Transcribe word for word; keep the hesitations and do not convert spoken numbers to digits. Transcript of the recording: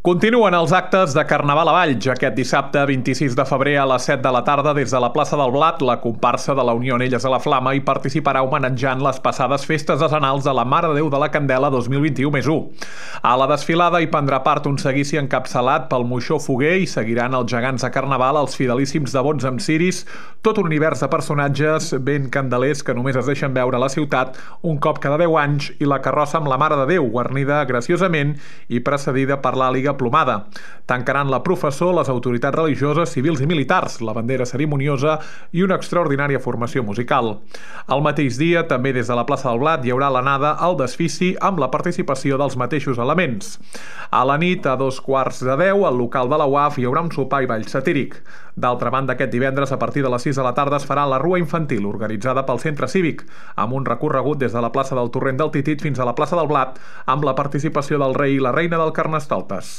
Continuen els actes de Carnaval a Valls. Aquest dissabte, vint-i-sis de febrer, a les set de la tarda, des de la plaça del Blat, la comparsa de la Unió Anelles a la Flama hi participarà homenatjant les passades festes decenals de la Mare de Déu de la Candela dos mil vint-i-u més u. A la desfilada hi prendrà part un seguici encapçalat pel Moixó Foguer i seguiran els gegants de Carnaval, els fidelíssims devots amb ciris, tot un univers de personatges ben candelers que només es deixen veure a la ciutat un cop cada deu anys, i la carrossa amb la Mare de Déu, guarnida graciosament i precedida per l'àliga plomada. Tancaran la professó les autoritats religioses, civils i militars, la bandera cerimoniosa i una extraordinària formació musical. El mateix dia, també des de la plaça del Blat, hi haurà l'anada al desfici amb la participació dels mateixos elements. A la nit, a dos quarts de deu, al local de la U A F hi haurà un sopar i ball satíric. D'altra banda, aquest divendres, a partir de les sis de la tarda, es farà la Rua Infantil, organitzada pel Centre Cívic, amb un recorregut des de la plaça del Torrent del Titit fins a la plaça del Blat, amb la participació del rei i la reina del Carnestoltes.